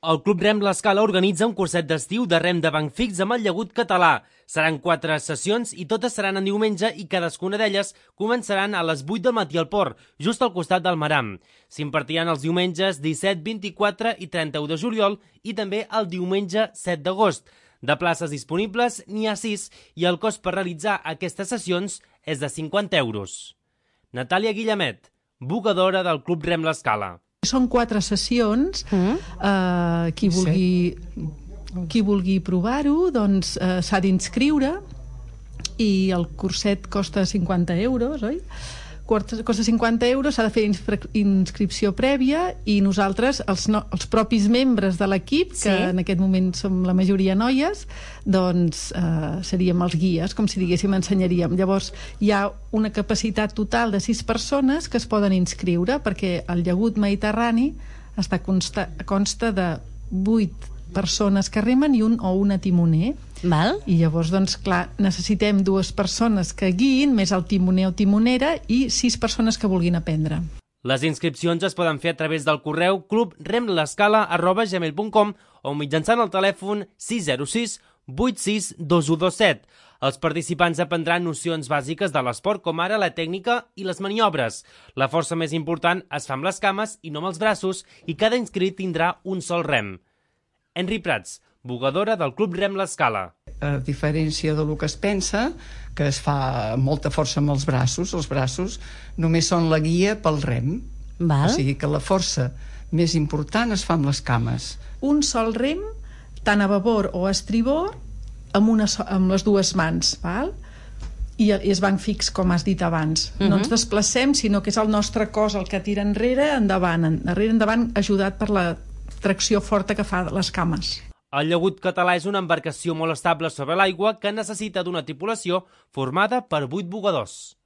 El Club Rem L'Escala organitza un curset d'estiu de rem de banc fix amb el llagut català. Seran 4 sessions i totes seran en diumenge i cadascuna d'elles començaran a les 8 del matí al port, just al costat del Maram. S'impartiran els diumenges 17, 24 i 31 de juliol i també el diumenge 7 d'agost. De places disponibles n'hi ha 6 i el cost per realitzar aquestes sessions és de 50 euros. Natàlia Guillemet, bugadora del Club Rem L'Escala. Són 4 sessions. Qui vulgui provar-ho doncs, s'ha d'inscriure i el curset costa 50 euros, oi? Costa 50 euros, s'ha de fer inscripció prèvia i nosaltres, els propis membres de l'equip, que en aquest moment som la majoria noies, doncs seríem els guies, com si diguéssim, ensenyaríem. Llavors hi ha una capacitat total de 6 persones que es poden inscriure, perquè el llagut mediterrani consta de 8 persones que remen i un o una timoner. Val. I llavors, doncs, clar, necessitem 2 persones que guiïn, més el timoner o timonera, i 6 persones que vulguin aprendre. Les inscripcions es poden fer a través del correu clubremlescala@gmail.com o mitjançant el telèfon 606 86 2127. Els participants aprendran nocions bàsiques de l'esport, com ara la tècnica i les maniobres. La força més important es fa amb les cames i no amb els braços, i cada inscrit tindrà un sol rem. Henry Prats, bugadora del Club Rem L'Escala. A diferència del que es pensa, que es fa molta força amb els braços només són la guia pel rem. Val. O sigui que la força més important es fa amb les cames. Un sol rem, tant a babord o a estribord, amb les 2 mans, val? I és banc fix, com has dit abans. No ens desplacem, sinó que és el nostre cos el que tira enrere, endavant, ajudat per la tracció forta que fa les cames. El llagut català és una embarcació molt estable sobre l'aigua que necessita d'una tripulació formada per 8 bugadors.